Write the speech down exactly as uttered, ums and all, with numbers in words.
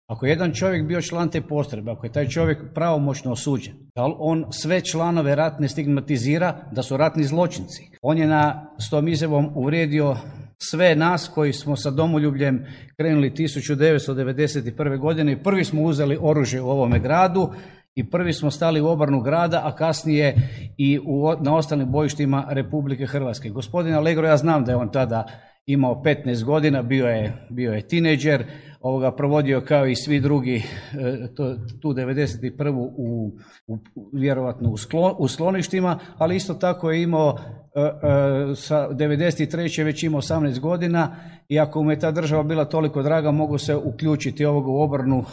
Ako je jedan čovjek bio član te postrojbe, ako je taj čovjek pravomoćno osuđen, da li on sve članove ratne stigmatizira da su ratni zločinci? On je na, s tom izjavom uvrijedio sve nas koji smo sa domoljubljem krenuli tisuću devetsto devedeset prve. godine i prvi smo uzeli oružje u ovome gradu i prvi smo stali u obranu grada, a kasnije i u, na ostalim bojištima Republike Hrvatske. Gospodin Allegro, ja znam da je on tada imao petnaest godina, bio je, bio je tinejdžer, ovoga provodio kao i svi drugi to, tu devedeset prvu u, u, vjerovatno u, sklon, u skloništima, ali isto tako je imao sa devedeset treće već imao osamnaest godina i ako mu je ta država bila toliko draga, mogu se uključiti ovoga u obranu